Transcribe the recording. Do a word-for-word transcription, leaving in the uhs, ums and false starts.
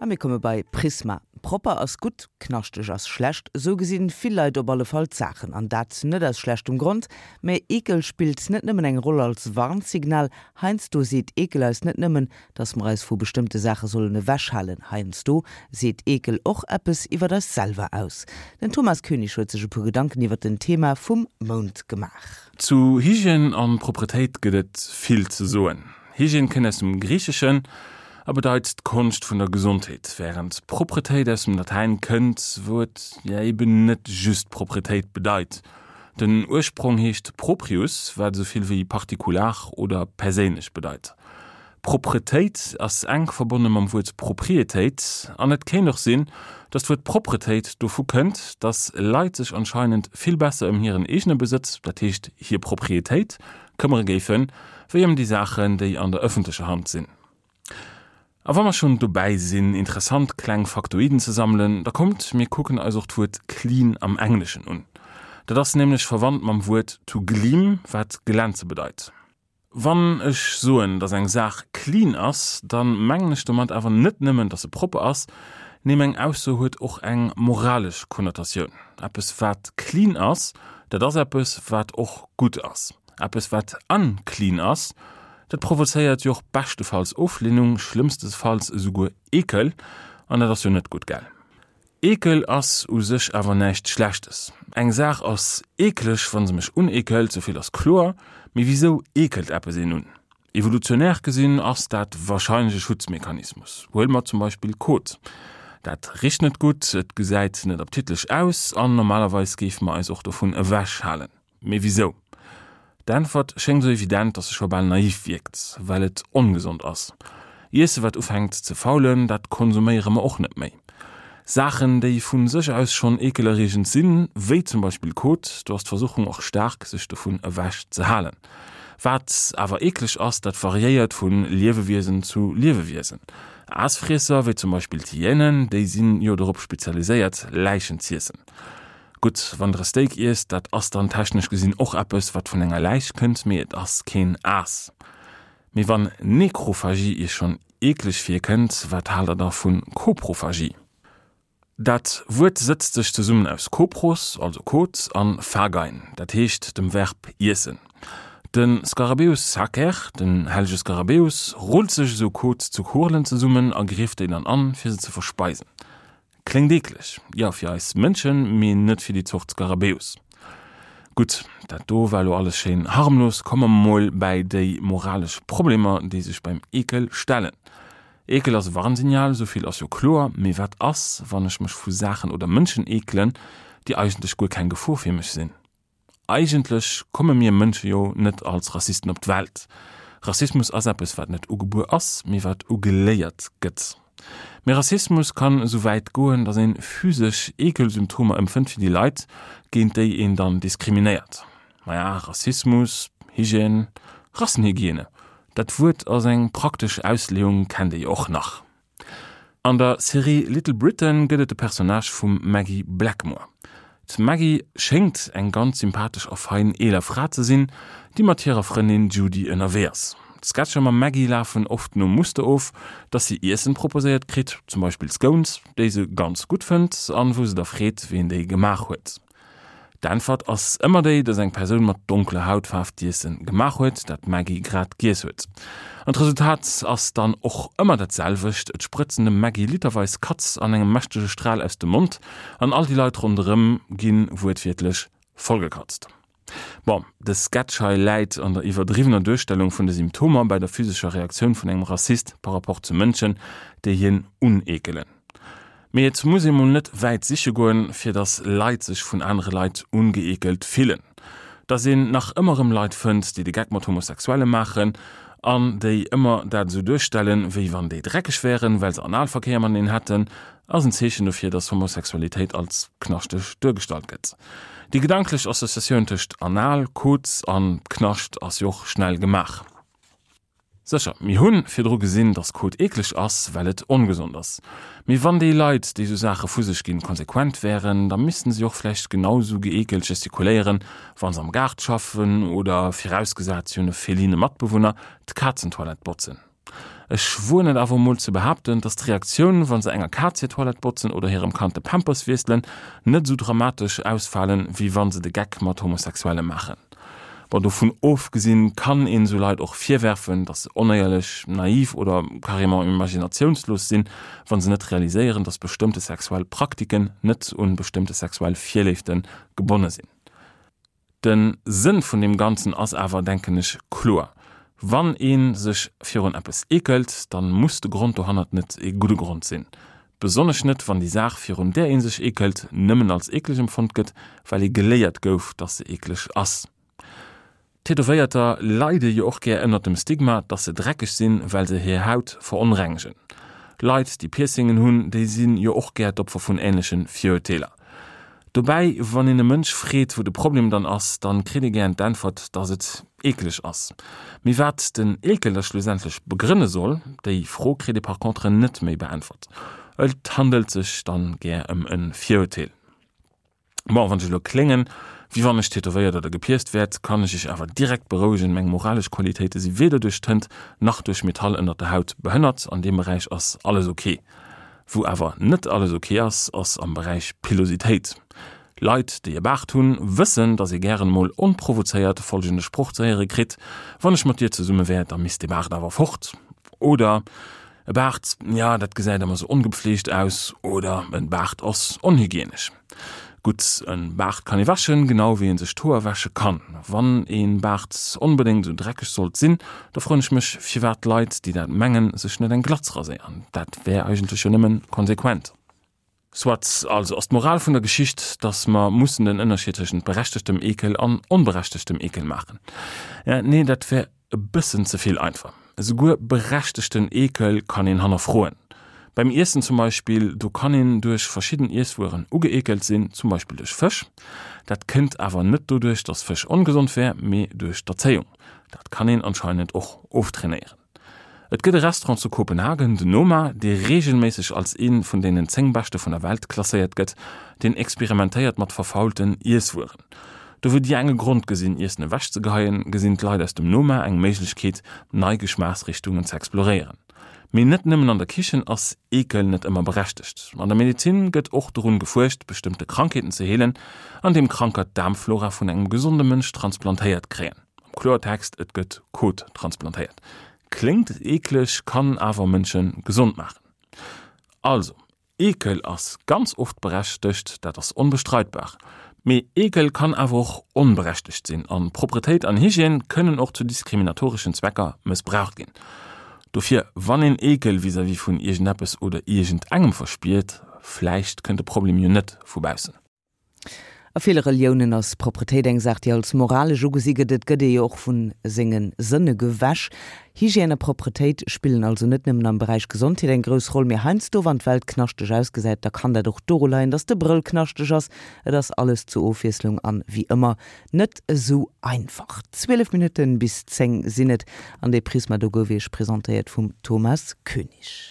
A mir komme bei Prisma. Propper ass gutt, knaschteg ass schlecht, sou gesinn vill Leit op alle Fall d'Saachen an dat net aus schlechtem Grond, mä Eekel spillt net nëmmen eng Roll als Warnsignal, heiansdo seet Eekel eis net nëmmen, dass mer eis vu bestëmmte Saache sollen ewechhalen, heiansdo seet Eekel och eppes iwwer eis selwer aus. Den Thomas Koenig huet sech e puer Gedanken iwwer den Thema vum Mount gemaach. Zu Hygiène an Propretéit gëtt et vill ze soen. Hygiène kënnt aus dem Griicheschen a bedeit d'Konscht vun der Gesondheet, wärend Propretéit aus dem Latäin kënnt, wou et jo eben net just Propretéit bedeit. Den Ursprong heescht proprius, wat esou vill wéi partikular oder perséinlech bedeit. Propretéit ass enk verbonne mam Wuert Proprietéit an et kéint och sinn, dass d'Wuert Propretéit dovu kënnt, dass Leit sech anscheinend vill besser ëm hiren eegene Besëtz, dat heescht hir Proprietéit, këmmere géifen, wéi ëm déi Saachen, déi an der ëffentlecher Hand sinn. A wa mer schonn dobäi sinn, interessant kleng Faktoiden ze sammelen, da kommt, mir kucken eis och d'Wuert clean am Engleschen un. Dat ass nämlech verwannt mam Wuert to gleam, wat glänze bedeit. Wann ech soen, dass eng Saach clean ass, da mengen ech domat awer net nëmmen, dass se propper ass, nee meng Ausso huet och eng moralesch Konnotatioun. Eppes wat clean ass, dat ass eppes wat och gutt ass. Eppes wat unclean ass, dat provozéiert jo och beschtefalls Oflehnung, schlëmmstefalls esouguer Eekel, an dat ass jo net gutt, gell? Eekel ass u sech awer näischt Schlechtes. Eng Saach ass eekleg, wa se mech uneekelt, souvill ass kloer, mee wisou eekelt eppes een un? Evolutionär gesinn ass dat warscheinlech e Schutzmechanismus. Huele mer zum Beispill Kot. Dat richt net gutt, et gesäit net appetitlech aus an normalerweis géife mer eis och dovun ewechhalen. Mee wisou? D'Äntwert schéngt sou evident, dass se scho bal naiv wierkt, well et ongesond ass. Iesse wat ufänkt ze faulen, dat konsuméiere mer och net méi. Saachen, déi vu sech aus schonn eekelerreegend sinn, wéi zum Beispill Kot, do ass d'Versuchung och staark, sech dovun ewech ze halen. Wat awer eekleg ass, dat variéiert vu Liewewiesen zu Liewewiesen. Aasfriesser, wéi zum Beispill d'Hyänen, déi sinn jo dorop spezialiséiert, Läichen z'iessen. Gutt, wann der e Steak iesst, dat ass dann technesch gesinn och eppes, wat vun enger Läich kënnt, mee et ass keen Aas. Mee wann Nekrophagie iech schonn eekleg virkënnt, wat haalt der da vu Koprophagie? Dat Wuert sëtzt sech zesummen aus kopros, also Kot, an phagein, dat heescht dem Verb iessen. De Scarabaeus sacer, den hellege Skarabäus, rullt sech esou Kot zu Kurlen zesummen a grieft déi dann an, fir se ze verspeisen. Kléngt eekleg, jo fir eis Mënschen, mee net fir déi Zort Skarabäus. Gutt, dat do war lo alles schéin harmlos, komme mer mol bäi déi moralesch Problemer, déi sech beim Eekel stellen. Eekel ass e Warnsignal, souvill ass jo kloer, mee wat ass, wann ech mech vu Saachen oder Mënschen eekelen, déi eigentlech guer keng Gefor fir mech sinn? Eigentlech komme mir Mënsche jo net als Rassisten op d'Welt. Rassismus ass eppes, wat net ugebuer ass, mee wat ugeléiert gëtt. Mee Rassismus kann esou wäit goen, datt een physesch Eekelsymptomer empfënnt fir déi Leit, géint déi een dann diskriminéiert. Maja, Rassismus, Hygiène, Rassenhygiene, dat Wuert a seng praktesch Ausleeung kennt Dir jo och nach. An der Serie Little Britain gëtt et de Personnage vum Maggie Blackmore. D'Maggie schéngt eng ganz sympathesch a fein eeler Fra ze sinn, déi mat hirer Frëndin Judy ënnerwee ass. D'Sketcher mam Maggie lafen oft nom Muster of, dass si Iessen proposéiert kritt, zum Beispill Scones, déi se ganz gutt fënnt an wou se da freet, wien déi gemaach huet. D'Äntwert ass ëmmer déi, dass eng Persoun mat donkeler Hautfaarf d'Iessen gemaach huet, dat d'Maggie grad giess huet. An d'Resultat ass dann och ëmmer dat selwecht, Et sprëtzen dem Maggie literweis Katz an engem mächtege Stral aus dem Mond an all déi Leit ronderëm gi wuertwiertlech vollgekatzt. Bon, de Sketch hei läit an der iwwerdriwwener Duerstellung vun de Symptomer bei der physescher Reaktioun vun engem Rassist par rapport zu Mënschen, déi hien uneekelen. Mee et muss ee mol net wäit siche goen, fir dass Leit sech vun anere Leit ungeekelt fillen. Dass een nach ëmmer erëm Leit fënnt, déi de Geck mat Homosexuelle maachen an déi ëmmer dat esou duerstellen, wéi wann déi dreckeg wären, well se Analverkéier mateneen hätten, ass en Zeechen dofir, dass Homosexualitéit als knaschteg duergestallt gëtt. Déi gedanklech Associatioun tëscht Anal, Kot an Knascht ass jo och schnell gemaach. Sécher, mir hu virdru gesinn, dass Kot eekleg ass, well et ongesond ass. Mee wann déi Leit, déi esou Saache vu sech ginn, konsequent wären, da missten se och vläicht genau esou geekelt gestikuléieren, wa se am Gaart schaffen oder, virausgesat si hunn e feline Matbewunner, d'Kazentoilette botzen. Ech woen et awer mol ze behaapten, dass d'Reaktioun, wann se enger Kaz hir Toilette botzen oder hirem Kand de Pampers wiesselen, net sou dramatesch ausfalen, wéi wann se de Geck mat Homosexuelle maachen. Bon, dovun ofgesinn kann een sou Leit och virwerfen, dass se onéierlech, naiv oder carrément imaginatiounslos sinn, wann se net realiséieren, dass bestëmmte sexuell Praktiken net un bestëmmte sexuell Virléifte gebonne sinn. Den Sënn vun deem Ganzen ass awer, denken ech, kloer. Wann ee sech virun eppes eekelt, dann muss de Grond dohannert net e gudde Grond sinn. Besonnesch net, wann déi Saach, virun där ee sech eekelt, nëmmen als eekleg empfonnt gëtt, well ee geléiert gouf, dass se eekleg ass. Tätowéierter leide jo och gär ënnert dem Stigma, dass se dreckeg sinn, well se hir Haut veronrengegen. Leit, déi Piercingen hunn, déi sinn jo och gär d'Opfer vun änleche Virurteeler. Dobäi, wann een e Mënsch freet, wou de Problem dann ass, dann kritt ee gären d'Äntwert, dass et eekleg ass. Mee wat den Eekel da schlussendlech begrënne soll, déi Fro kritt ee par contre net méi beäntwert. Et handelt sech dann gär ëm e Virurteel. Bon, wann ech elo kléngen, wéi wann ech tätowéiert oder gepierct wär, kann ech iech awer direkt berouegen, meng moralesch Qualitéite si weder duerch Tënt nach duerch Metall ënnert der Haut behënnert, an deem Beräich ass alles ok. Wou awer net alles ok ass, ass am Beräich Pilositéit. Leit, déi e Baart hunn, wëssen, dass ee gären emol onprovozéiert folgende Sproch ze héiere kritt, Wann ech mat dir zesumme wär, da misst dee Baart awer fort. Oder, E Baart, jo, dat gesäit ëmmer sou ongepfleegt aus. Oder, En Baart ass onhygienesch. Gutt, e Baart kann ee wäschen, genau wéi ee sech d'Hoer wäsche kann. Wann e Baart onbedéngt esou dreckeg sollt sinn, da froen ech mech, firwat d'Leit, déi dat mengen, sech net eng Glatz raséieren. Dat wär eigentlech jo nëmmen konsequent. Soit, also ass d'Moral vun der Geschicht, dass mer mussen den Ënnerscheed tëschent berechtegtem Eekel an onberechtegtem Eekel maachen. Nee, dat wär e bëssen ze vill einfach. Esouguer berechtegten Eekel kann een hannerfroen. Beim Iessen zum Beispill, do kann een duerch verschidden Iesswueren ugeekelt sinn, zum Beispill duerch Fësch. Dat kënnt awer net doduerch, dass Fësch ongesond wär, mee duerch d'Erzéiung. Dat kann een anscheinend och oftrainéieren. Et gëtt e Restaurant zu Kopenhagen, den Noma, dee reegelméisseg als ee vun deenen zéng beschte vun der Welt klasséiert gëtt. Deen experimentéiert mat verfaulten Iesswueren. Do wou déi eng e Grond gesinn, Iessen ewechzegeheien, gesinn d'Leit aus dem Noma eng Méiglechkeet, nei Geschmaachsrichtungen ze exploréieren. Mee net nëmmen an der Kichen ass Eekel net ëmmer berechtegt. An der Medezin gëtt och dorun gefuerscht, bestëmmte Krankheeten ze heelen, andeem Kranker d'Daarmflora vun engem gesonde Mënsch transplantéiert kréien. Am Kloertext, et gëtt Kot transplantéiert. Kléngt eekleg, kann awer Mënsche gesond maachen. Also, Eekel ass ganz oft berechtegt, dat ass onbestreitbar. Mee Eekel kann awer och onberechtegt sinn an Propretéit an Hygiène kënnen och zu diskriminatoreschen Zwecker mëssbraucht ginn. Dofir, wann een Eekel vis-à-vis vun iergendeppes oder iergendengem verspiert, vläicht kënnt de Problem jo net vu baussen. A ville Reliounen ass Propretéit eng Saach, déi als moralesch ugesi gëtt. Et gëtt ee jo och vu senge Sënne gewäsch. Hygiène a Propretéit spillen also net nëmmen am Beräich Gesondheet eng grouss Roll, mee heiansdo, wann d'Welt knaschteg ausgesäit, da kann dat och doru leien, dass de Brëll knaschteg ass. Et ass alles zur Ofwiesslung an wéi ëmmer net esou einfach. Zwielef Minutten bis zéng sinn et an dee Prisma do gouf Iech presentéiert vum Thomas Koenig.